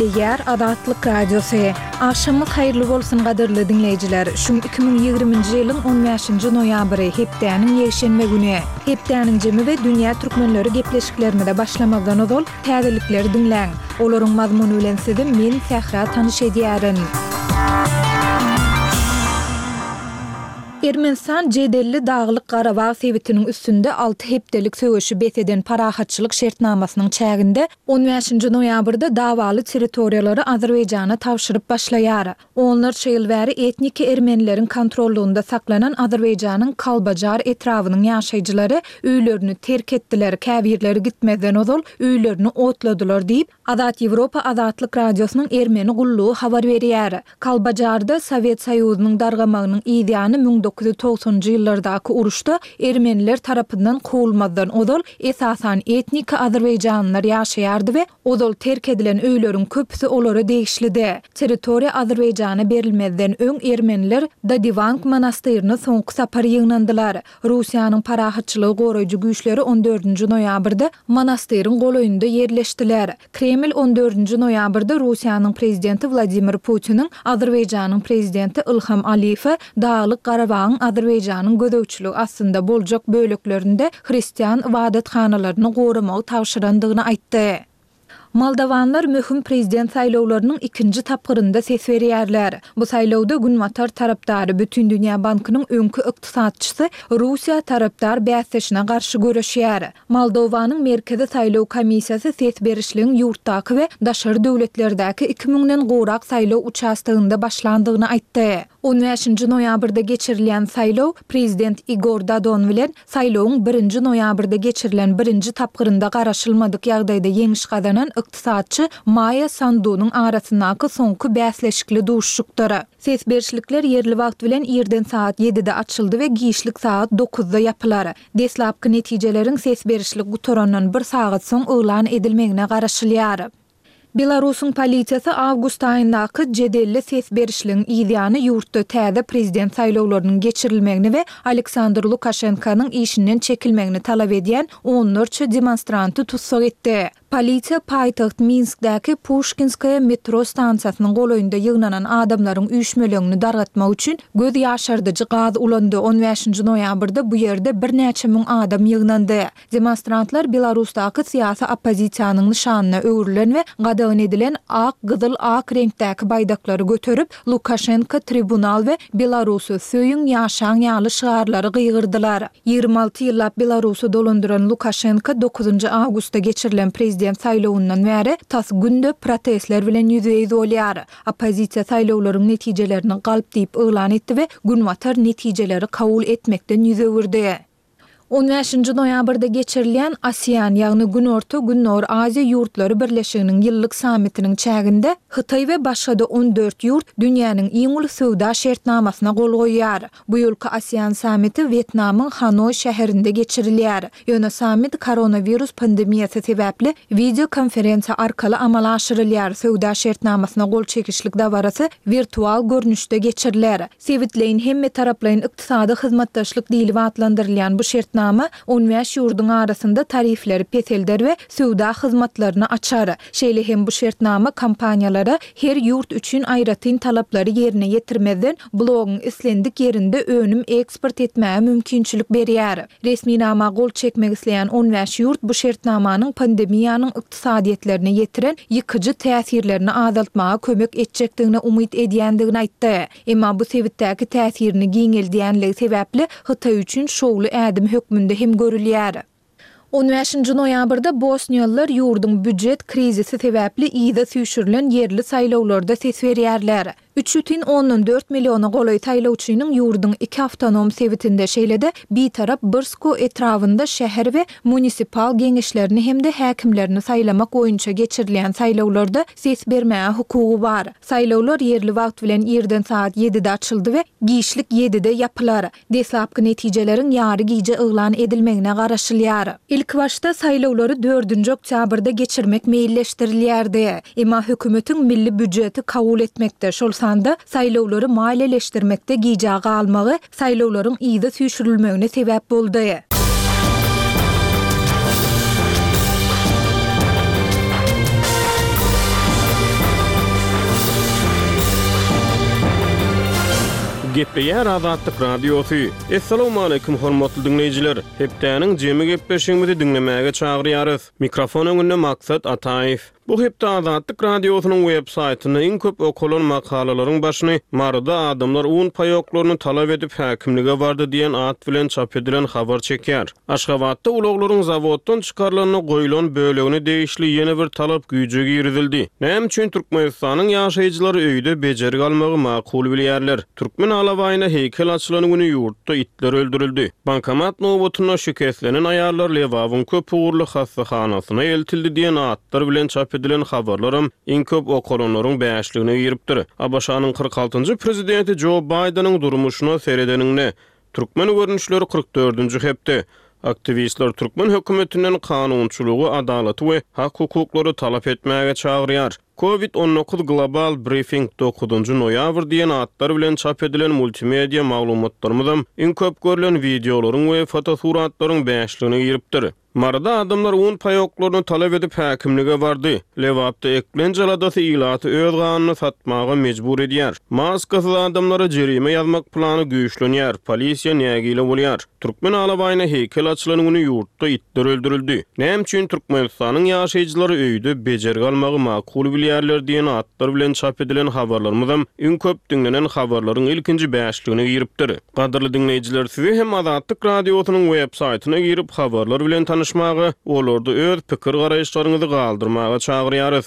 Gepleýär Azatlyk Radiosy. Agşamyňyz haýyrly bolsun gadyrly diňleýjiler. Şu 2020-nji ýylyň 15-nji noýabry, hepdäniň ýekşenbe güni. Hepdäniň jemi we dünýä türkmenleri gepleşiklerimize başlamazdan ozal, täzelikleri diňläň. Olaryň mazmuny bilen sizi men, Sähra tanyş edýärin. Ermenistan jedelli Daglyk-Garabag sebitiniň üstünde alty hepdelik söweşi bes eden parahatçylyk şertnamasynyň çäginde on bäşinji noýabrda dawaly territoriýalary Azerbaýjana tabşyryp başlaýar. Onlarça ýyl bäri etniki ermenileriň kontrollygynda saklanan Azerbaýjanyň Kalbajar etrabynyň ýaşaýjylary öýlerini terk etdiler, käbirleri gitmezden ozal öýlerini otladylar diýip, Azat Ýewropa Azatlyk Radiosynyň ermeni gullugy habar berýär. Kalbajarda Sowet Soýuzynyň dargamagynyň yz ýany 1990-njy ýyllardaky uruşda ermeniler tarapyndan kowulmazdan ozal esasan etniki azerbaýjanlylar ýaşaýardy we ozal terk edilen öýleriň köpüsi olara degişlidi. Territoriýa Azerbaýjana berilmezden öň ermeniler Dadiwank monastyryna soňky sapar ýygnandylar. Russiýanyň parahatçylygy goraýjy güýçleri on dördünji noýabrda monastyryň golaýynda ýerleşdiler. Kreml on dördünji noýabrda Russiýanyň prezidenti Wladimir Putiniň Azerbaýjanyň prezidenti Ilham Aliýewe Daglyk-Garabagyň Azerbaýjanyň gözegçiligi astynda boljak böleklerinde hristian ybadathanalaryny goramagy tabşyrandygyny aýtdy. Moldowanlar möhüm prezident saýlawlarynyň ikinji tapgyrynda ses berýärler. Bu saýlawda Günbatar tarapdary, Bütindünýä bankynyň öňki ykdysatçysy Russiýa tarapdar bäsdeşine garşy göreşýär. Moldowanyň Merkezi saýlaw komissiýasy ses berişligiň ýurtdaky we daşary döwletlerdäki iki müňden gowrak saýlaw uçastogynda başlandygyny aýtdy. On bäşinji noýabrda geçirilýän saýlaw prezident Igor Dodon bilen Saýlawyň birinji noýabrda geçirilen birinji tapgyrynda garaşylmadyk ýagdaýda ýeňiş gazanan ykdysatçy Maýa Sandunyň arasyndaky soňky bäsleşikli duşuşykdyr. Ses berişlikler ýerli wagt bilen irden sagat ýedide açyldy we giçlik sagat dokuzda ýapylar. Deslapky netijeleriň ses berişlik gutarandan bir sagat soň yglan edilmegine garaşylýar. Belarusyň polisiýasy awgust aýyndaky jedelli ses berişligiň yzýany ýurtda täze prezident saýlawlarynyň geçirilmegini we Aleksandr Lukaşenkonyň işinden çekilmegini talap edýän onlarça demonstranty tussag etdi. Polisiýa paýtagt Minskdäki Puşkinskaýa metro stansiýasynyň golaýynda ýygnanan adamlaryň üýşmeleňini dargatmak üçin göz ýaşardyjy gaz ulandy. On bäşinji noýabrda bu ýerde birnäçe müň adam ýygnandy. Demonstrantlar Belarusdaky syýasy oppozisiýanyň nyşanyna öwrülen we gadagan edilen ak-gyzyl-ak reňkdäki baýdaklary göterip, Lukaşenko, tribunal we Belarusy söýüň, ýaşaň ýaly şygarlary gygyrdylar. 26 ýyllap Belarusy dolandyran Lukaşenko dokuzynjy awgustda geçirilen prezident saýlawyndan bäri tas günde protestler bilen ýüzbe-ýüz bolýar. Oppozisiýa saýlawlaryň netijelerini galp diýip yglan etdi we Günbatar netijeleri kabul etmekden ýüz öwürdi. On bäşinji noýabrda geçirilýän ASEAN, ýagny Günorta-Gündogar Aziýa ýurtlary birleşiginiň ýyllyk sammitiniň çäginde Hytaý we başga-da on dört ýurt dünýäniň iň uly söwda şertnamasyna gol goýýar. Bu ýylky ASEAN sammiti Wýetnamyň Hanoý şäherinde geçirilýär. Ýöne sammit koronawirus pandemiýasy sebäpli wideokonferensiýa arkaly amala aşyrylýar, söwda şertnamasyna gol çekişlik dabarasy wirtual görnüşde geçiriler. Sebitleýin hemmetaraplaýyn ykdysady hyzmatdaşlyk diýlip atlandyrylýan bu şertnama on bäş ýurduň arasynda tarifleri peselder we söwda hyzmatlaryny açar. Şeýle hem bu şertnama kompaniýalara her ýurt üçin aýratyn talaplary ýerine ýetirmezden blogyň islendik ýerinde önüm eksport etmäge mümkinçilik berýär. Resminama gol çekmek isleýän on bäş ýurt bu şertnamanyň pandemiýanyň ykdysadyýetlerine ýetiren ýykyjy täsirlerini azaltmaga kömek etjekdigine umyt edýändigini aýtdy. Emma bu sebitdäki täsirini giňeldýänligi sebäpli Hytaý üçin şowly ädim hökmünde hem görülýär. On bäşinji noýabrda bosniýalylar ýurduň býujet krizisi sebäpli yza süýşürilen ýerli saýlawlarda ses berýärler. Üç bütin ondan dört milliona golaý saýlawçynyň ýurduň iki awtonom sebitinde, şeýle-de bitarap Brsko etrabynda şäher we munisipal geňeşlerini hem-de häkimlerini saýlamak boýunça geçirilýän saýlawlarda ses bermäge hukugy bar. Saýlawlar ýerli wagt bilen irden sagat ýedide açyldy we giçlik ýedide ýapylar. Deslapky netijeleriň ýary gije yglan edilmegine garaşylýar. Ilkibaşda saýlawlary dördünji oktýabrda geçirmek meýilleşdirilýärdi. Emma hökümetiň milli býujeti kabul etmekde, şol sanda saýlawlary maliýeleşdirmekde gijä galmagy saýlawlaryň yza süýşürilmegine sebäp boldy. Gepleýär Azatlyk Radiosy. Essalawmaleýkim hormatly diňleýjiler! Hepdäniň jemi gepleşigimizi diňlemäge çagyrýarys. Mikrofon öňünde Maksat Ataýew. Bu hepde Azatlyk Radiosynyň web saýtynda iň köp okalan makalalaryň başyny Maryda adamlar un paýoklaryny talap edip häkimlige bardy diýen at bilen çap edilen habar çekýär. Aşgabatda ulaglaryň zawoddan çykarylanda goýlan bölegine degişli ýene bir talap güýje girizildi. Näme üçin Türkmenistanyň ýaşaýjylary öýde bejergi almagy makul bilýärler? Türkmen alabaýyna heýkel açylan güni ýurtda itler öldürildi. Bankomat nobatynda şikeslenen aýallar Lebabyň köp ugurly hassahanasyna eltildi diýen atlar bilen çap edilen habarlaram iň köp okalanlaryň bäşligine giripdir. ABŞ-nyň 46-njy prezidenti Jo Baýdeniň durmuşyna seredeniňde, Türkmen görnüşleri 44-nji hepde. Aktiwistler türkmen hökümetinden kanunçylygy, adalaty we hak-hukuklary talap etmäge çagyrýar. Covid 19 Global Briefing dokuzynjy noýabr diýen atlar bilen çap edilen multimedia maglumatlarymyzam iň köp görlen wideolaryň we fotosuratlaryň bäşligine giripdir. Maryda adamlar un paýoklaryny talap edip häkimlige bardy. Lebapda eklenç aladasy ilaty öz ganyny satmaga mejbur edýär. Maskasyz adamlara jerime ýazmak plany güýçlenýär, polisiýa nägile bolýar. Türkmen alabaýyna heýkel açylan güni ýurtda itler öldürildi. Näme üçin Türkmenistanyň ýaşaýjylary öýde bejergi almagy makul bilýärler diýen atlar bilen çap edilen habarlarymyzam iň köp diňlenen habarlaryň ilkinji bäşligine giripdir. Gadyrly diňleýjiler sizi hem Azatlyk Radiosynyň web saýtyna girip habarlar bilen tanyşmaga, olarda öz pikir garaýyşlaryňyzy galdyrmaga çagyrýarys.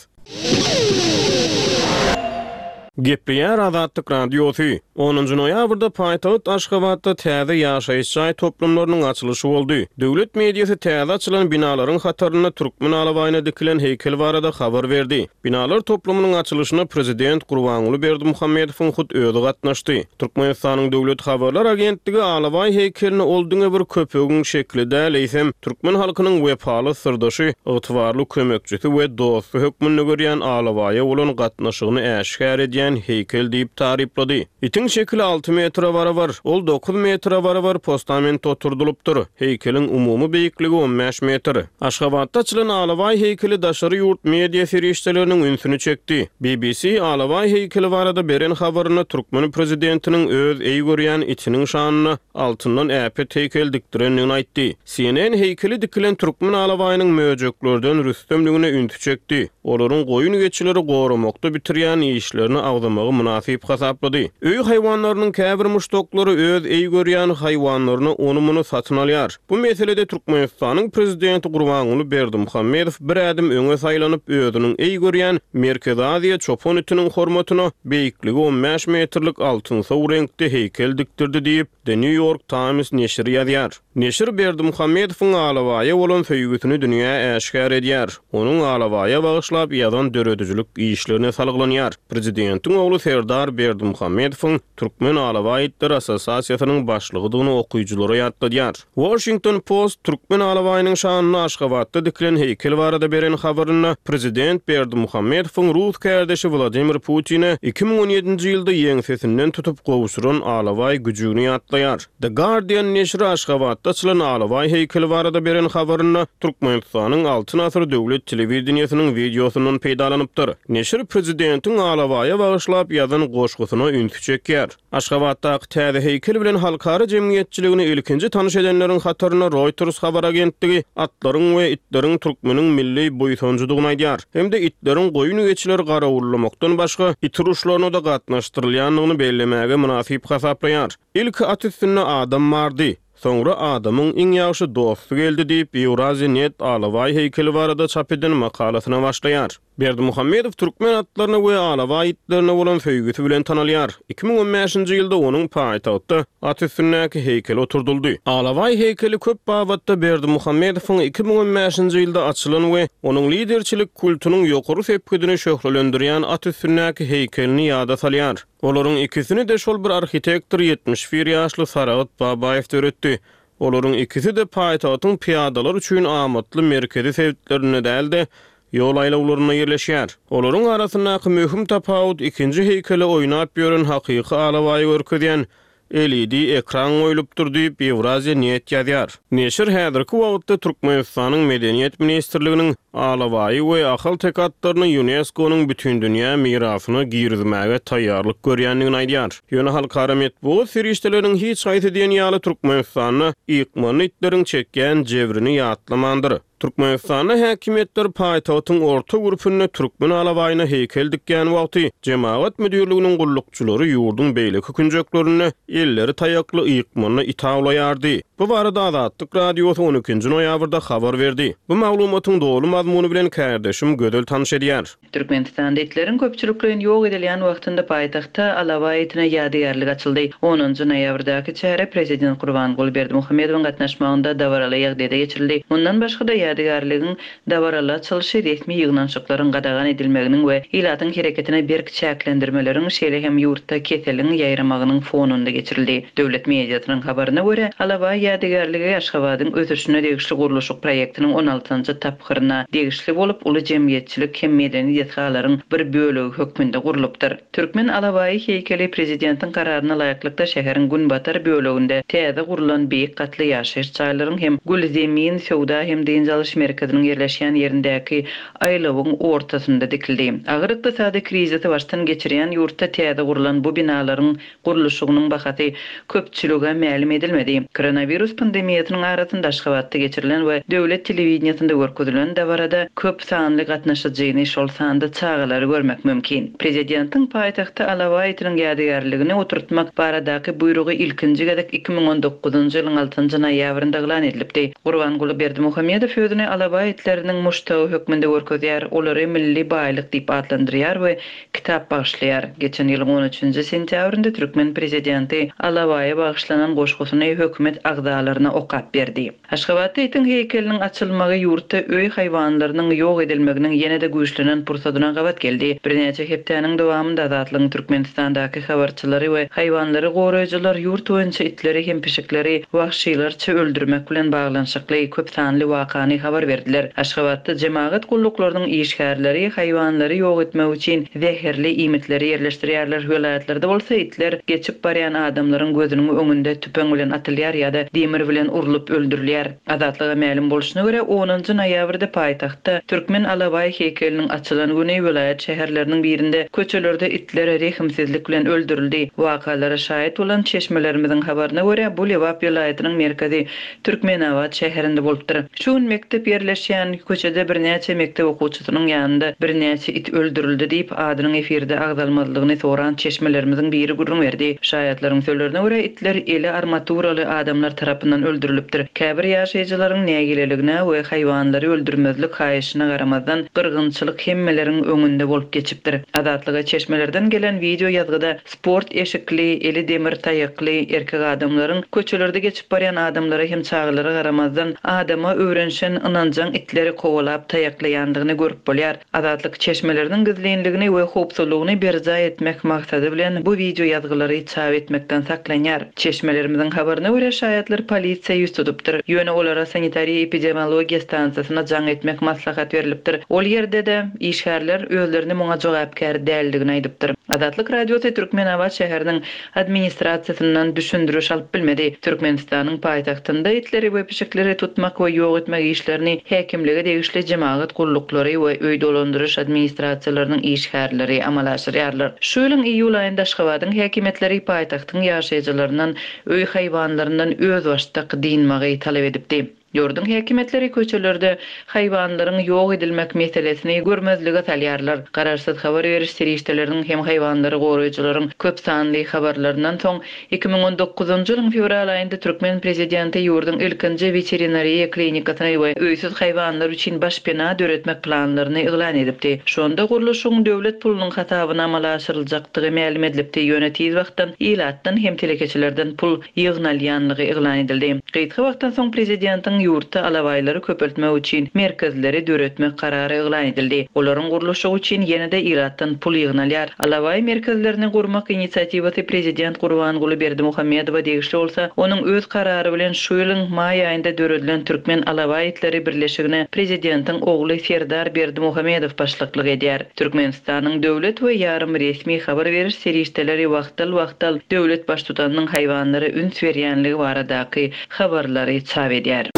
Gepleýär Azatlyk Radiosy. Onunjy noýabrda paýtagt Aşgabatda täze ýaşaýyş jaý toplumlarynyň açylyşy boldy. Döwlet mediasy täze açylan binalaryň hatarynda türkmen alabaýyna dikilen heýkel barada habar berdi. Binalar toplumynyň açylyşyna prezident Gurbanguly Berdimuhamedowyň hut özi gatnaşdy. Türkmenistanyň Döwlet habarlar agentligi alabaý heýkelini ol diňe bir köpegiň şekili däl, eýsem, türkmen halkynyň wepaly syrdaşy, ygtybarly kömekçisi we dosty hökmünde görýän alabaýa bolan gatnaşygyny äşgär edýän heýkel diýip taryplady. Itiň şekili alty metre barabar, ol dokuz metre barabar postamentde oturdylypdyr. Heýkeliň umumy beýikligi on bäş metr. Aşgabatda açylan alabaý heýkeli daşary ýurt media serişdeleriniň ünsüni çekdi. BBC alabaý heýkeli barada beren habarynda türkmen prezidentiniň öz eý görýän itiniň şanyna altyndan äpet heýkel dikdirendigini aýtdy. CNN heýkeli dikilen türkmen alabaýynyň möjeklerden rüstemligine ünsi çekdi. Olaryň goýun-geçileri goramakda bitirýän işlerini agzamagy mynasyp hasaplady. Öý haýwanlarynyň käbir muşdaklary öz eý görýän haýwanlaryna ony-muny satyn alýar. Bu meselede Türkmenistanyň Prezidenti Gurbanguly Berdimuhamedow bir ädim öňe saýlanyp, özüniň eý görýän Merkezi Aziýa çopan itiniň hormatyna beýikligi on bäş metrlik altynsow reňkde heýkel dikdirdi diýip, The New York Times neşiri ýazýar. Neşir Berdimuhamedowyň alabaýa bolan söýgüsini dünýä äşgär edýär, onuň alabaýa bagyşlap ýazan döredijilik işlerine salgylanýar. Prezidentiň ogly Serdar Berdimuhamedowyň Türkmen alabaý itleri assosiasiýasynyň başlygydygyny okyjylara ýatladýar. Washington Post türkmen alabaýynyň şanyna Aşgabatda dikilen heýkel barada beren habarynda prezident Berdimuhamedowyň rus kärdeşi Wladimir Putine 2017-nji ýylda ýeňsesinden tutup gowşuran alabaý güjügini ýatlaýar. The Guardian neşiri Aşgabatda açylan alabaý heýkeli barada beren habarynda Türkmenistanyň Altyn asyr döwlet telewideniýesiniň wideosyndan peýdalanypdyr. Neşir prezidentiň alabaýa bagyşlap ýazan goşgusyna ünsi çekýär. Aşgabatdaky täze heýkel bilen halkara jemgyýetçiligini ilkinji tanyş edenleriň hatarynda Reuters habar agentligi atlaryň we itleriň türkmeniň milli buýsanjydygyny aýdýar hem-de itleriň goýun-geçileri garawullamakdan başga it uruşlaryna-da gatnaşdyrylýandygyny bellemäge mynasyp hasaplaýar. Ilki at üstünde adam bardy, soňra adamyň iň ýagşy dosty geldi diýip, Eurasia net alabaý heýkeli barada çap eden makalasyna başlaýar. Berdimuhamedow türkmen atlaryna we alabaý itlerine bolan söýgüsi bilen tanalýar. 2015-nji ýylda onuň paýtagtda at üstündäki heýkeli oturdyldy. Alabaý heýkeli köp babatda Berdimuhamedowyň 2015-nji ýylda açylan we onuň liderçilik kultunyň ýokary sepgidini şöhlelendirýän at üstündäki heýkelini ýada salýar. Olaryň ikisini-de şol bir arhitektor 71 ýaşly Saragt Babaýew döretdi. Olaryň ikisi-de paýtagtyň pyýadalar üçin amatly merkezi sebitlerinde däl-de, ýol aýlawlarynda ýerleşýär. Olaryň arasyndaky möhüm tapawut ikinji heýkele oýnap ýören hakyky alabaýy görkezýän. LED ekran goýlupdyr diýip, Ýewraziýa net ýazýar. Neşir häzirki wagtda Türkmenistanyň Medeniýet ministrliginiň alabaýy we ahalteke atlaryny ÝUNESKO-nyň Bütindünýä mirasyna girizmäge taýýarlyk görýändigini aýdýar. Ýöne halkara metbugat serişdeleriniň hiç haýsy diýen ýaly Türkmenistanda ykmanly itleriň çekýän jebrini ýatlamandyr. Türkmenistanda häkimiýetler paýtagtyň orta gürpünde türkmen alabaýyna heýkel dikýän wagty, jemagat müdirliginiň gullukçylary ýurduň beýleki künjeklerinde elleri taýakly ykmanda it awlaýardy. Bu barada Azatlyk Radiosy on ikinji noýabrda habar berdi. Bu maglumatyň doly mazmuny bilen kärdeşim Gözel tanyş edýär. Türkmenistanda itleriň köpçülikleýin ýok edilýän wagtynda paýtagtda alabaý itine ýadygärlik açyldy. Onunjy noýabrdaky çäre prezident Gurbanguly Berdimuhamedowyň gatnaşmagynda dabaraly ýagdaýda geçirildi. Mundan başga-da, ýadygärligiň dabaraly açylyşy resmi ýygnanyşyklaryň gadagan edilmeginiň we ilatyň hereketine berk çäklendirmeleriň, şeýle hem ýurtda keseliň ýaýramagynyň fonunda geçirildi. Döwlet mediasynyň habaryna görä, alabaý ýadygärligi Aşgabadyň ösüşine degişli gurluşyk proýektiniň on altynjy tapgyryna degişli bolup, uly jemgyýetçilik hem medeni desgalaryň bir bölegi hökmünde gurlupdyr. Türkmen alabaýy heýkeli prezidentiň kararyna laýyklykda şäheriň günbatar böleginde täze gurlan beýik gatly ýaşaýyş jaýlaryň hem Gül Zemin söwda hem dynç alyş merkeziniň ýerleşýän ýerindäki aýlawyň ortasynda dikildi. Agyr ykdysady krizisi başdan geçirýän ýurtda täze gurlan bu binalaryň gurluşygynyň bahasy köpçülige mälim edilmedi. Koronawirus pandemiýasynyň arasynda Aşgabatda geçirilen we döwlet telewideniýesinde görkezilen dabarada köp sanly gatnaşyjyny, şol sanda çagalary görmek mümkin. Prezidentiň paýtagtda alabaý itiniň ýadygärligini oturtmak baradaky buýrugy ilkinji gezek 2019-njy ýylyň altynjy noýabrynda yglan edilipdi. Gurbanguly Berdimuhamedow özüni alabaý itleriniň muşdagy hökmünde görkezýär, olary milli baýlyk diýip atlandyrýar we kitap bagyşlaýar. Geçen ýylyň on üçünji sentýabrynda türkmen prezidenti Alabaýa bagyşlanan goşgusyny hökümet agzalaryna okap berdi. Aşgabatda itiň heýkeliniň açylmagy ýurtda öý haýwanlarynyň ýok edilmeginiň ýene-de güýçlenen pursadyna gabat geldi. Birnäçe hepdäniň dowamynda Azatlygyň Türkmenistandaky habarçylary we haýwanlary goraýjylar ýurt boýunça itleri hem pişikleri wagşylarça öldürmek bilen baglanyşykly köp sanly wakany habar berdiler. Aşgabatda jemagat gulluklarynyň işgärleri haýwanlary ýok etmek üçin zäherli iýmitleri ýerleşdirýärler, welaýatlarda bolsa itler geçip barýan adamlaryň gözüniň öňünde tüpeň bilen atylýar ýa-da demir bilen urlup öldürilýär. Azatlyga mälim bolşuna görä, onunjy noýabrda paýtagtda türkmen alabaý heýkeliniň açylan güni welaýat şäherleriniň birinde köçelerde itler rehimsizlik bilen öldürildi. Wakalara şaýat bolan çeşmelerimiziň habaryna görä, bu Lebap welaýatynyň merkezi Türkmenabat şäherinde bolupdyr. Şu gün mekdep ýerleşýän köçede birnäçe mekdep okuwçysynyň ýanynda birnäçe it öldürildi diýip, adynyň efirde agzalmazlygyny soran çeşmelerimiziň biri gürrüň berdi. Şaýatlaryň sözlerine görä, itler eli armaturaly adamlar tarapyndan öldürilipdir. Käbir ýaşaýjylaryň nägileligine we haýwanlary öldürmezlik haýyşyna garamazdan, gyrgynçylyk hemmeleriň öňünde bolup geçipdir. Azatlyga çeşmelerden gelen wideo ýazgyda Sport eşikli, eli demir taýakly erkek adamlaryň köçelerde geçip barýan adamlara hem çagalara garamazdan, adama öwrenişen ynanjaň itleri kowalap taýaklaýandygyny görüp bolýar. Azatlyk çeşmeleriniň gizlinligini we howpsuzlygyny berjaý etmek maksady bilen bu wideo ýazgylary çap etmekden saklanýar. Çeşmelerimiziň habaryna görä, şaýatlar polisiýa ýüz tutupdyr. Ýöne olara sanitariýa-epidemiologiýa stansiýasyna jaň etmek maslahat berlipdir. Ol ýerde-de işgärler özlerini muňa jogapkär däldigini aýdypdyr. Azatlyk Radiosy Türkmenabat şäheriniň administrasiýasyndan düşündiriş alyp bilmedi. Türkmenistanyň paýtagtynda itleri we pişikleri tutmak we ýok etmek işlerini häkimlige degişli jemagat gulluklary we öý dolandyryş administrasiýalarynyň işgärleri amala aşyrýarlar. Şu ýylyň iýul aýynda Aşgabadyň häkimiýetleri paýtagtyň ýaşaýjylaryndan öý haýwanlaryndan özbaşdak dynmagy talap edipdi. Ýurduň häkimiýetleri köçelerde haýwanlaryň ýok edilmek meselesini görmezlige salýarlar. Garaşsyz habar beriş serişdeleriniň hem haýwanlary goraýjylaryň köp sanly habarlaryndan soň, 2019-njy ýylyň fewral aýynda türkmen prezidenti ýurduň ilkinji weterinariýa klinikasyny we öýsüz haýwanlar üçin başpena döretmek planlaryny yglan edipdi. Şonda gurluşygyň döwlet pulunyň hasabyna amala aşyryljakdygy mälim edilipdi, ýöne tiz wagtdan ilatdan hem telekeçilerden pul ýygnalýanlygy yglan edildi. Gysga wagtdan soň prezidentiň. Berdimuhamedowyň ýurtda alabaýlary köpeltmek üçin merkezleri döretmek karary yglan edildi. Olaryň gurluşygy üçin ýene-de ilatdan pul ýygnalýar. Alabaý merkezlerini gurmak inisiatiwasy prezident Gurbanguly Berdimuhamedowa degişli bolsa, onuň öz karary bilen şu ýylyň maý aýynda döredilen Türkmen alabaý itleri birleşigine prezidentiň ogly Serdar Berdimuhamedow başlyklyk edýär. Türkmenistanyň döwlet we ýarym resmi habar beriş serişdeleri wagtal-wagtal döwlet baştutanynyň haýwanlara üns berýänligi baradaky habarlary çap edýär.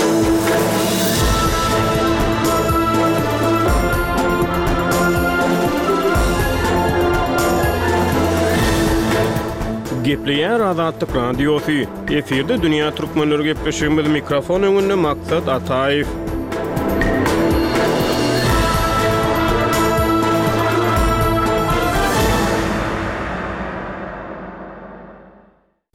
Gepleýär Azatlyk Radiosy, Efirde Dünýä Türkmenleri gepleşigimiz mikrofon öňünde Maksat Ataýew.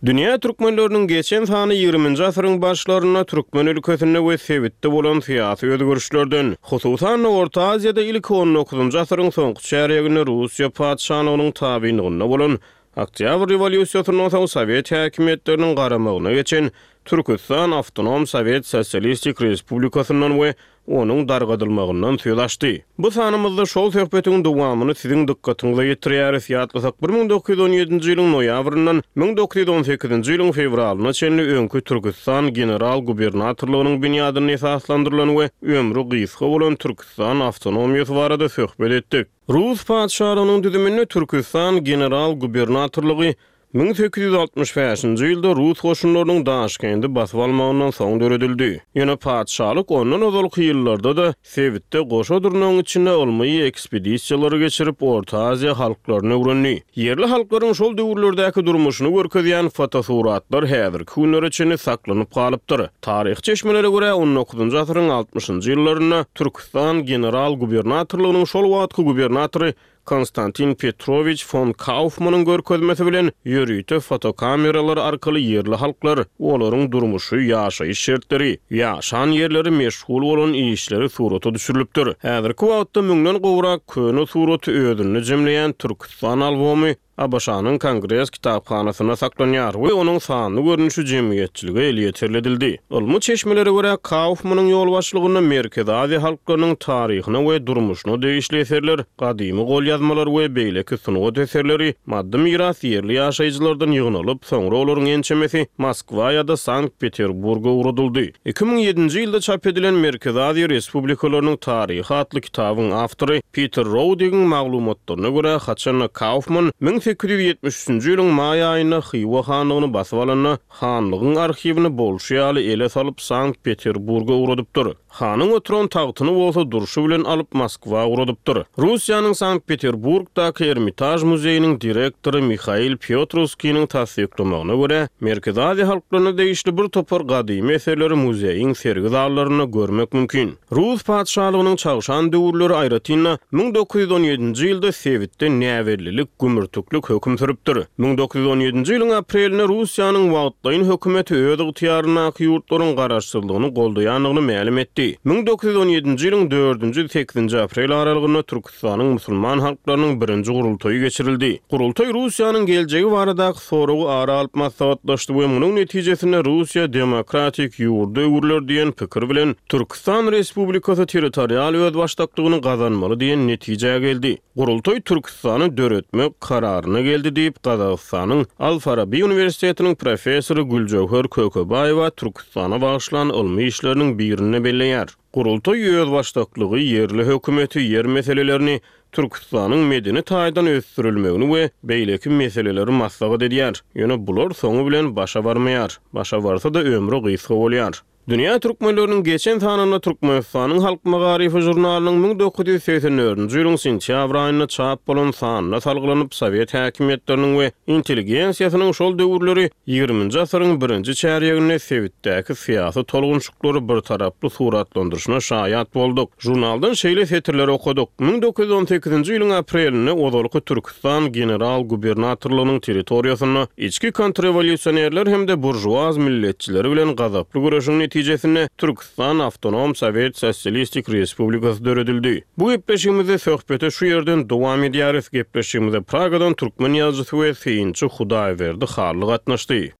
Dünýä türkmenleriniň geçen sany ýigriminji asyryň başlarynda türkmen ülkesinde we sebitde bolan syýasy özgerişlerden, hususan-da Orta Aziýada ilki on dokuzynjy asyryň soňky çärýeginde Russiýa patyşalygynyň tabynlygynda bolan Oktýabr rewolýusiýasyndan soň sowet häkimiýetleriniň garamagyna geçen Türküstan Awtonom Sowet Sosialistik Respublikasyndan we onuň dargadylmagyndan söz açdy. Bu sanymyzda şol söhbetiň dowamyny siziň dykgatyňyza ýetirýäris. Ýatlasak, 1917-nji ýylyň noýabryndan 1918-nji ýylyň fewralyna çenli öňki Türküstan general-gubernatorlygynyň binýadynda esaslandyrylan we ömri gysga bolan Türküstan awtonomiýasy barada söhbet etdik. Rus patyşalygynyň düzüminde Türküstan general-gubernatorlygy 1865-nji ýylda rus goşunlarynyň Daşkendi basyp almagyndan soň döredildi. Ýöne patyşalyk ondan ozalky ýyllarda-da sebitde goşa durnagyň içinde ylmy ekspedisiýalary geçirip, Orta Aziýa halklaryny öwrendi. Ýerli halklaryň şol döwürlerdäki durmuşyny görkezýän fotosuratlar häzirki günlere çenli saklanyp galypdyr. Taryhy çeşmelere görä, on dokuzynjy asyryň altmyşynjy ýyllarynda Türküstan general-gubernatorlygynyň şol wagtky gubernatory Konstantin Petrowiç fon Kaufmanyň görkezmesi bilen ýörite fotokameralar arkaly ýerli halklar, olaryň durmuşy, ýaşaýyş şertleri, ýaşan ýerleri, meşgul bolan işleri surata düşürilipdir. Häzirki wagtda müňden gowrak köne suraty özünde jemleýän Türküstan albomy ABŞ-nyň Kongres kitaphanasynda saklanýar we onuň sanly görnüşi jemgyýetçilige elýeterli edildi. Ylmy çeşmelere görä, Kaufmanyň ýolbaşçylygynda Merkezi Aziýa halklarynyň taryhyna we durmuşyna degişli eserler, gadymy golýazmalar we beýleki sungat eserleri, maddy miras ýerli ýaşaýjylardan ýygnalyp, soňra olaryň ençemesi Moskwa ýa-da Sankt-Peterburga ugradyldy. 2007-nji ýylda çap edilen Merkezi Aziýa respublikalarynyň taryhy atly kitabyň awtory Piter Roudigiň maglumatlaryna görä, haçan-da Kaufman 1873-nji ýylyň maý aýynda Hywa hanlygyny basyp alanda, hanlygyň arhiwini bolşy ýaly ele salyp Sankt-Peterburga ugradypdyr. Hanyň oturan tagtyny bolsa durşy bilen alyp Moskwa ugradypdyr. Russiýanyň Sankt-Peterburgdaky Ermitaž muzeýiniň direktory Mihail Pýotrowskiniň tassyklamagyna görä, Merkezi Aziýa halklaryna degişli bir topar gadymy eserleri muzeýiň sergi zallarynda görmek mümkin. Rus patyşalygynyň çagşan döwürleri, aýratyn-da, 1917-nji ýylda sebitde näbellilik, gümürtiklik höküm sürüpdir. 1917-nji ýylyň aprelinde Russiýanyň wagtlaýyn hökümeti öz ygtyýaryndaky ýurtlaryň garaşsyzlygyny goldaýandygyny mälim etdi. 1917-nji ýylyň dördünji, sekizinji aprel aralygynda Türküstanyň musulman halklarynyň birinji gurultaýy geçirildi. Gurultaý Russiýanyň geljegi baradaky soragy ara alyp maslahatlaşdy we munuň netijesinde Russiýa demokratik ýurda öwrüler diýen pikir bilen Türküstan Respublikasy territorial özbaşdaklygyny gazanmaly diýen netijä geldi. Gurultaý Türküstany döretmek kararyna geldi diýip, Gazagystanyň Al-Farabi uniwersitetiniň professory Güljöwher Kökebaýewa Türküstana bagyşlan ylmy işleriniň birinde belleýär. Gurultaý özbaşdaklygy, ýerli hökümeti, ýer meselelerini, Türküstanyň medeni taýdan ösdürilmegini we beýleki meseleleri maslahat edýär. Ýöne bular soňy bilen başa barmaýar. Başa barsa-da ömri gysga bolýar. Dünýä türkmenleriniň geçen sanynda Türkmenistanyň Halk magaryfy žurnalynyň 1984-nji ýylyň sentýabr aýynda çap bolan sanyna salgylanyp, sowet häkimiýetleriniň we intelligensiýasynyň şol döwürleri ýigriminji asyryň birinji çärýeginde sebitdäki syýasy tolgunşyklary birtaraply suratlandyryşyna şaýat bolduk. Žurnaldan şeýle setirleri okadyk, 1918-nji ýylyň aprelinde ozalky Türküstan general-gubernatorlygynyň territoriýasynda içki kontrrewolýusionerler hem-de buržuaz milletçileri bilen gazaply göreşiň netijesinde Türküstan Awtonom Sowet Sosialistik Respublikasy döredildi. Bu gepleşigimizde söhbeti şu ýerden dowam edýäris. Gepleşigimize Pragadan türkmen ýazyjysy we synçy Hudaýberdi Hally gatnaşdy.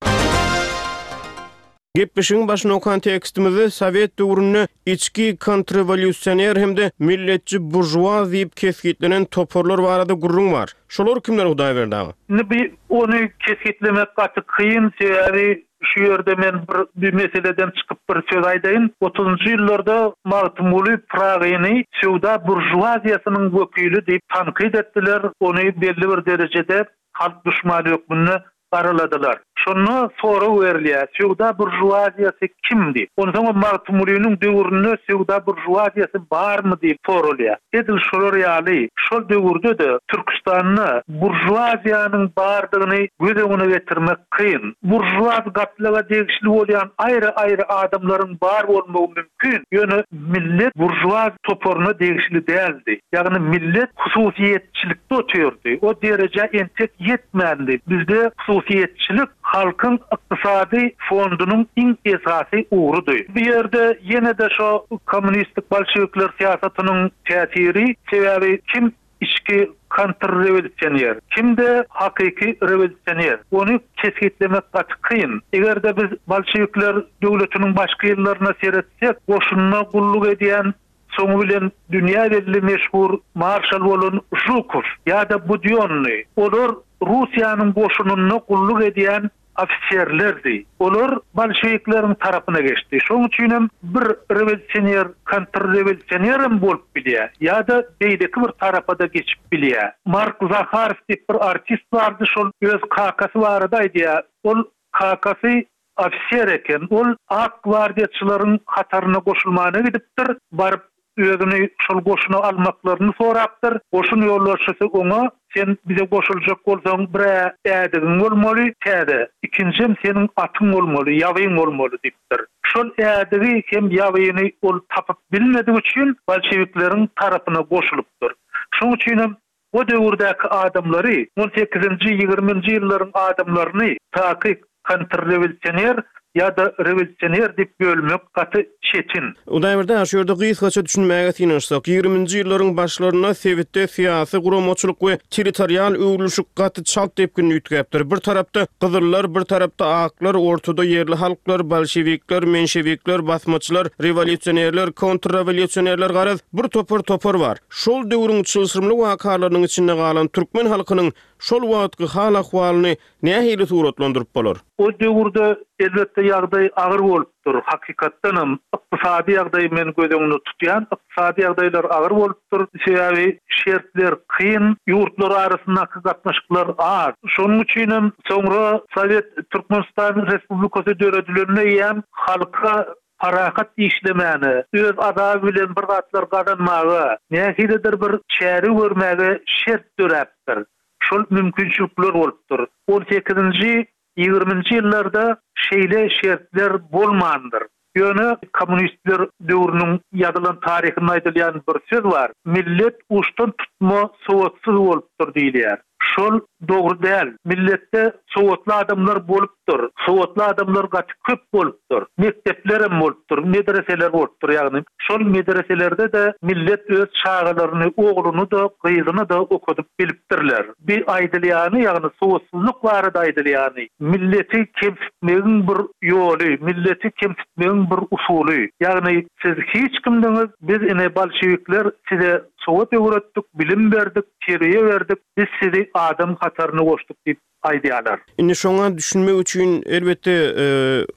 Gepleşigiň başynda okan tekstimizde sowet döwründe içki kontrrewolýusioner hem-de milletçi buržuaz diýip kesgitlenen toparlar barada gürrüň bar. Şolar kimler Hudaýberdi aga? Indi bi ony kesgitlemek gaty kyn, sebäbi şu ýerde men bir bi meseleden çykyp bir söz aýdaýyn. Otuzynjy ýyllarda Magtymguly Pyragyny söwda buržuaziýasynyň wekili diýip tankyt etdiler, ony belli bir derejede halk duşmany hökmünde garaladylar. Şonda sorag berilýär, söwda buržuaziýasy kim diýip. Onsoňam Magtymgulynyň döwründe söwda buržuaziýasy barmy diýip soralýar. Edil şolar ýaly, şol döwürde-de Türküstanda buržuaziýanyň bardygyny göz öňüne getirmek kyn. Buržuaz gatlaga degişli bolýan aýry-aýry adamlaryň bar bolmagy mümkin, ýöne millet buržuaz toparyna degişli däldi. Ýagny millet hususyýetçilikde otyrdy. O derejä entek ýetmändi. Bizde hususyýetçilik halkyň ykdysady fondunyň iň esasy ugrudy. Bu ýerde ýene-de şo kommunistik bolşewikler syýasatynyň täsiri, sebäbi kim içki kontrrewolýusioner, kim-de hakyky rewolýusioner, ony kesgitlemek gaty kyn. Eger-de biz bolşewikler döwletiniň başky ýyllaryna seretsek, goşunda gulluk edýän, soňy bilen dünýä belli meşhur marşal bolan Žukow ýa-da Budýonnyý, olar Russiýanyň goşunynda gulluk edýän ofiserlerdi. Olar bolşewikleriň tarapyna geçdi. Şonuň üçinem bir rewolýusioner kontrrewolýusionerem bolup bilýär ýa-da beýleki bir tarapa-da geçip bilýär. Mark Zaharow diýip bir artist bardy, şol öz kakasy barada aýdýar. Ol kakasy ofiser eken. Ol ak gwardiýaçylaryň hataryna goşulmana gidipdir. Baryp özüni şol goşuna almaklaryny sorapdyr. Goşun ýolbaşçysy oňa, Sen bize goşuljak bolsaň, bir-ä ädigiň bolmaly, täze, ikinjem seniň atyň bolmaly, ýabyň bolmaly diýipdir. Şol ädigi hem ýabyny ol tapyp bilmedigi üçin bolşewikleriň tarapyna goşulypdyr. Şoň üçinem O döwürdäki adamlary, on sekizinji, ýigriminji ýyllaryň adamlaryny takyk kontrrewolýusioner ýa-da rewolýusioner diýip bölmek gaty çetin. Hudaýberdi aga, şu ýerde gysgaça düşünmäge synanyşsak, ýigriminji ýyllaryň başlarynda sebitde syýasy, guramaçylyk we territorial öwrülişik gaty çalt depginde üýtgäpdir. Bir tarapda gyzyllar, bir tarapda aklar, ortada ýerli halklar, bolşewikler, menşewikler, basmaçylar, rewolýusionerler, kontrrewolýusionerler, garaz, bir topar topar bar. Şol döwrüň çylşyrymly wakalarynyň içinde galan türkmen halkynyň şol wagtky hal-ahwalyny nähili suratlandyryp bolar? O döwürde, elbetde, ýagdaý agyr bolupdyr. Hakykatdanam, ykdysady ýagdaýy men göz öňünde tutýan. Ykdysady ýagdaýlar agyr bolupdyr. Sebäbi şertler kyn, ýurtlar arasyndaky gatnaşyklar az. Şonuň üçinem soňra Sowet Türkmenistan Respublikasy döredilende eýýäm halka parahat işlemäne, öz azaby bilen bir zatlar gazanmaga, nähilidir bir çäre görmäge şert döräpdir. Şol mümkinçilikler bolupdyr. On sekizinji, ýigriminji ýyllarda şeýle şertler bolmandyr. Ýöne kommunistler döwrüniň ýazylan taryhynda aýdylýan bir söz bar, Millet uçdan tutma sowatsyz bolupdyr diýilýär. Şol dogry däl. Milletde sowatly adamlar bolupdyr. Sowatly adamlar gaty köp bolupdyr. Mekdeplerem bolupdyr, medreseler bolupdyr. Ýagny şol medreselerde-de millet öz çagalaryny, ogluny-da, gyzyny-da okadyp bilipdirler. Bi aýdylýany, ýagny sowatsyzlyk barada aýdylýany, milleti kemsitmegiň bir ýoly, milleti kemsitmegiň bir usuly. Ýagny siz hiç kimdiňiz, biz ine bolşewikler size sowat öwretdik, bilim berdik, Terbiýe berdik, biz sizi adam hataryna goşduk diýip aýdýarlar. Indi şoňa düşünmek üçin, elbetde,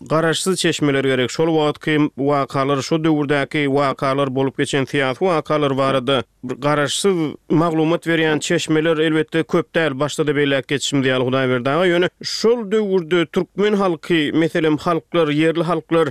garaşsyz çeşmeler gerek. Şol wagtky wakalar, şo döwürdäki wakalar, bolup geçen syýasy wakalar barada bir garaşsyz maglumat berýän çeşmeler, elbetde, köp däl. Başda-da belläp geçişimiz ýaly, Hudaýberdi aga, ýöne şol döwürde türkmen halky, meselem, halklar, ýerli halklar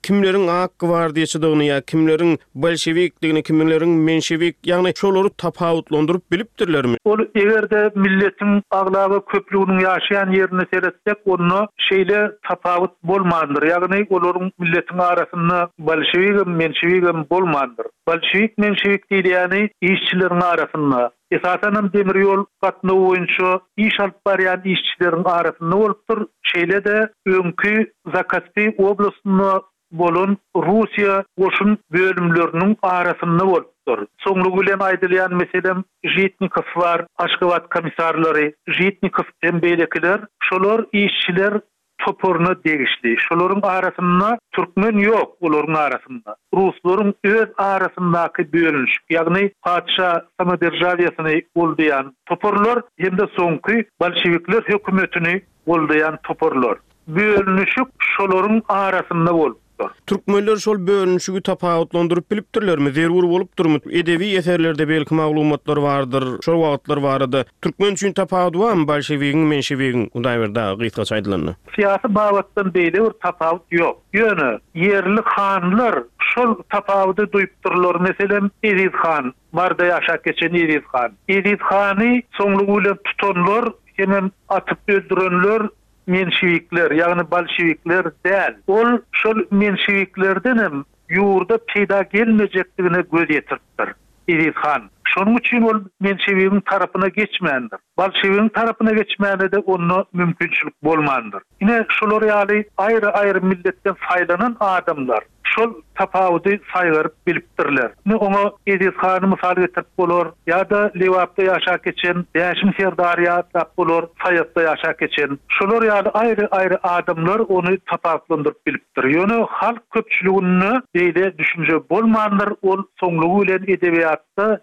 kimleriň ak gwardiýaçydygyny ýa kimleriň Bolşewikdigini, kimleriň menşewik, ýagny şolary tapawutlandyryp bilipdirlermi? Ol eger-de milletiň aglaba köplüginiň ýaşaýan ýerine seretsek, onda şeýle tapawut bolmandyr, ýagny olaryň milletiň arasynda bolşewigem, menşewigem bolmandyr. Bolşewik-menşewik diýilýäni işçileriň arasynda, esasanam demir ýol gatnawy boýunça iş alyp barýan işçileriň arasynda bolupdyr, şeýle-de öňki Zakaspi oblastynda bolan Russiýa goşun bölümleriniň arasynda bolupdyr. Soňlugy bilen aýdylýan meselem Žitnikow bar, Aşgabat komissarlary, Žitnikow hem beýlekiler, şolar işçiler. Toparyna degişli. Şolaryň arasynda türkmen ýok, olaryň arasynda. Ruslaryň öz arasyndaky bölünişik, ýagny patyşa samoderžawiýasyny goldaýan toparlar hem-de soňky bolşewikler hökümetini goldaýan toparlar. Bölünişik şolaryň arasynda bolupdyr. Türkmenler şol bölünişigi tapawutlandyryp bilipdirlermi, zerur bolupdyrmy? Edebi eserlerde belki maglumatlar bardyr şol wagtlar barada. Türkmen üçin tapawudy barmy bolşewigiň, menşewigiň, Hudaýberdi aga, gysgaça aýdylanda? Syýasy babatdan beýle bir tapawut ýok. Ýöne ýerli hanlar şol tapawudy duýupdyrlar. Meselem, Eziz han, Maryda ýaşap geçen Eziz han. Eziz hany soňlugy bilen tutanlar hemem atyp öldürenler menşewikler, ýagny bolşewikler däl. Ol şol menşewiklerdenem ýurda peýda gelmejekdigine göz ýetiripdir. Eziz han. Şonuň üçin ol menşewigiň tarapyna geçmändir. Bolşewigiň tarapyna geçmäne-de onda mümkinçilik bolmandyr. Ine, şular ýaly aýry-aýry milletden saýlanan adamlar şol tapawudy saýgaryp bilipdirler. Ine, oňa Eziz hany mysal getirip bolar, ýa-da Lebapda ýaşap geçen Bäşim serdary ýatlap bolar, Saýatda ýaşap geçen. Şolar ýaly aýry-aýry adamlar ony tapawutlandyryp bilipdir. Ýöne halk köpçüliginde beýle düşünje bolmandyr, ol soňlugy bilen edebiýatda,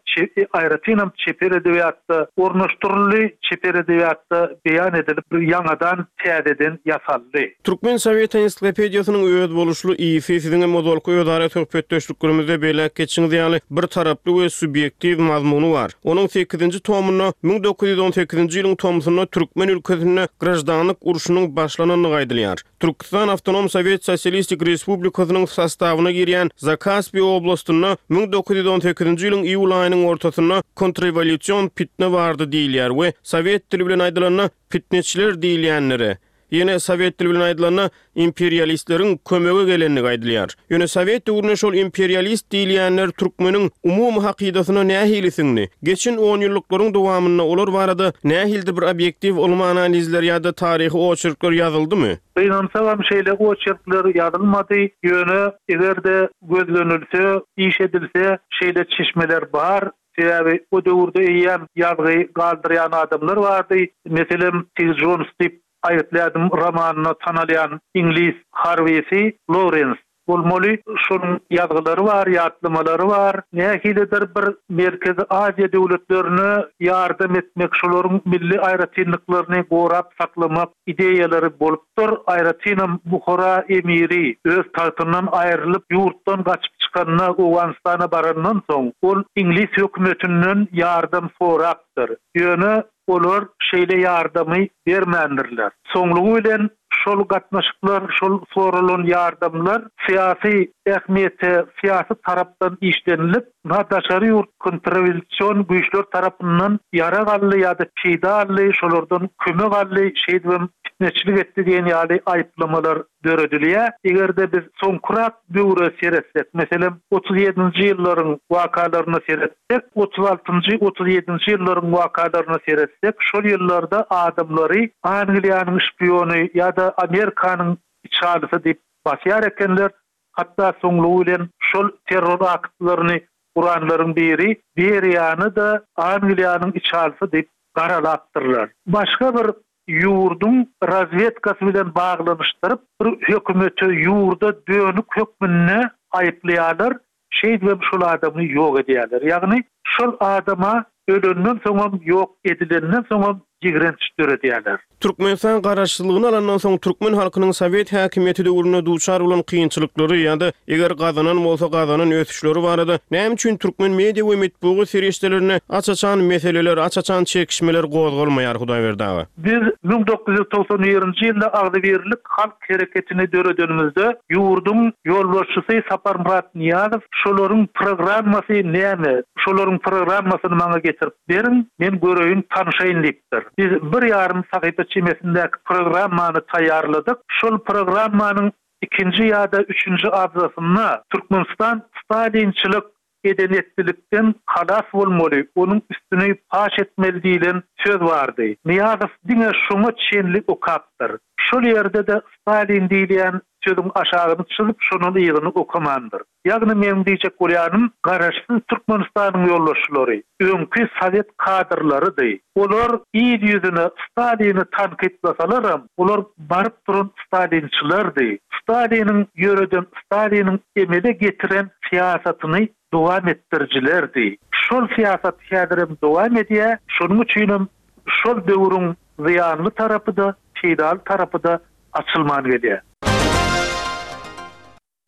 aýratynam çeper edebiýatda ornaşdyryldy, çeper edebiýatda beýan edilip, ýaňadan, täzeden ýasaldy. Türkmen sowet ensiklopediýasynyň özboluşly ysy siziňem ozalky özara söhbetdeşliklerimizde belläp geçişiňiz ýaly, bir taraply we subýektiw mazmuny bar. Onuň sekizinji tomunda 1918-nji ýylyň tomsunda türkmen ülkesinde graždanlyk urşunyň başlanandygy aýdylýar. Türküstan Awtonom Sowet Sosialistik Respublikasynyň sostawyna girýän Zakaspi oblastynda 1918-nji ýylyň iýul aýynyň ortasynda kontrrewolýusion pitne bardy diýilýär we sowet dili bilen aýdylanda pitneçiler diýilýänlere, Ýene sowet dili bilen aýdylanda, imperialistleriň kömege gelendigi aýdylýar. Ýöne sowet döwründe şol imperialist diýilýänler türkmeniň umumy hakydasyna nähili siňdi? Geçen onýyllyklaryň dowamynda olar barada nähilidir bir obýektiw ylmy analizler ýa-da taryhy oçerkler ýazyldymy? Gynansagam şeýle oçerkler ýazylmady, ýöne eger-de gözlenilse, iş edilse şeýle çeşmeler bar, Sebäbi o döwürde eýýäm ýazgy galdyrýan adamlar bardy. Meselem, Tig Jons diýip aýgytly ädim romanynda tanalýan iňlis harbysy Lorens bolmaly. Şonuň ýazgylary bar, ýatlamalary bar. Nähilidir bir Merkezi Aziýa döwletlerine ýardam etmek, şolaryň milli aýratynlyklaryny gorap saklamak ideýalary bolupdyr. Aýratynam Buhara emiri öz tagtyndan aýrylyp, ýurtdan gaçyp çykanda, Owganystana barandan soň, ol iňlis hökümetinden ýardam sorapdyr. Ýöne olar şeýle ýardamy bermändirler. Soňlugy bilen şol gatnaşyklar, şol soralan ýardamlar syýasy ähmiýete, syýasy tarapdan işlenilip, Na daşary ýurt kontrrewolýusion güýçler tarapyndan ýarag aldy ýa-da peýda aldy, şolardan kömek aldy, şeýdibem pitneçilik etdi diýen ýaly aýyplamalar döredilýär. Eger-de biz soňkurak döwre seretsek, meselem, 37-nji ýyllaryň wakalaryna seretsek, 36-njy, 37-nji ýyllaryň wakalaryna seretsek, şol ýyllarda adamlary Angliýanyň şpiony ýa-da Amerikanyň içalysy diýip basýar ekenler, Hatda soňlugy bilen şol terror aktlaryny guranlaryň biri Beriýany-da Angliýanyň içalysy diýip garalapdyrlar. Başga bir ýurduň razwedkasy bilen baglanyşdyryp, bir hökümete, ýurda dönük hökmünde aýyplaýarlar, şeýdibem şol adamy ýok edýärler. Ýagny şol adama ölenden soňam, ýok edilenden soňam ýigrenç döredýärler. Türkmenistan Garaşsyzlygyny alandan soň türkmen halkynyň sowet häkimiýeti döwründe duçar bolan kynçylyklary ýa-da eger gazanan bolsa gazanan ösüşleri barada näme üçin türkmen media we metbugat serişdelerinde aç-açan meseleler, aç-açan çekişmeler gozgalmaýar Hudaýberdi aga? Biz 1991-nji ýylda Agzybirlik halk hereketini döredenimizde ýurduň ýolbaşçysy Saparmyrat Nyýazow şolaryň programmasy näme, şolaryň programmasyny maňa getirip beriň, men göreýin, tanşaýyn diýipdir. Biz bir ýarym sahypa çemesindäki programmany taýýarladyk. Şol programmanyň ikinji ýa-da üçünji abzasynda Türkmenistan stalinçilik eden-etdilikden halas bolmaly, onuň üstüni paş etmeli diýlen söz bardy. Nyýazow diňe şoňa çenli okapdyr. Şol ýerde-de Stalin diýilýän. sözüň aşagyny çyzyp, şondan yzyny okamandyr. Ýagny meň diýjek bolýanym, Garaşsyz Türkmenistanyň ýolbaşçylary öňki sowet kadrlarydy. Olar il ýüzüne Stalini tankytlasalaram, olar baryp duran stalinçilerdi. Staliniň ýöreden, Staliniň emele getiren syýasatyny dowam etdirijilerdi. Şol syýasat häzirem dowam edýär, şonuň üçinem şol döwrüň zyýanly tarapy-da, peýdaly tarapy-da açylman gelýär.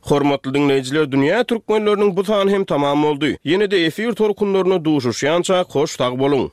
Hormatly diňleýjiler Dünýä Türkmenleriniň bu sany hem tamam boldy. Ýene-de efir tolkunlarynda duşuşýançak hoş sag boluň!